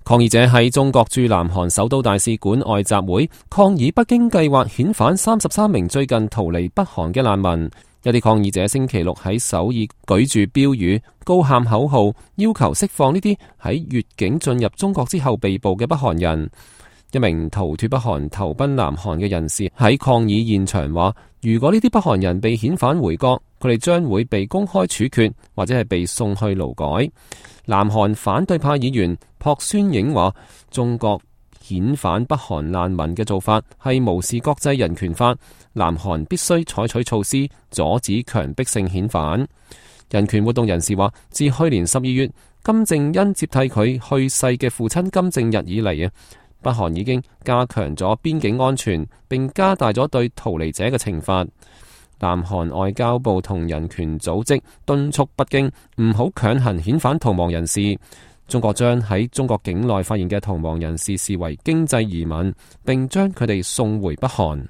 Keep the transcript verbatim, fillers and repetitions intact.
抗議者喺中國駐南韓首都大使館外集會，抗議北京計劃遣返三十三名最近逃離北韓嘅難民。有啲抗議者星期六喺首爾舉住標語，高喊口號，要求釋放呢啲喺越境進入中國之後被捕嘅北韓人。一名逃脫北韓投奔南韓嘅人士喺抗議現場話，如果呢啲北韓人被遣返回國，佢哋將會被公開處決，或者係被送去勞改。南韓反對派議員朴宣影話，中國遣返北韓難民嘅做法係無視國際人權法，南韓必須採取措施阻止強迫性遣返。人權活動人士話，自去年十二月金正恩接替佢去世嘅父親金正日以嚟啊，北韓已經加強咗邊境安全，並加大咗對逃離者嘅懲罰。南韓外交部同人權組織敦促北京唔好強行遣返逃亡人士。中國將喺中國境內發現嘅逃亡人士視為經濟移民，並將佢哋送回北韓。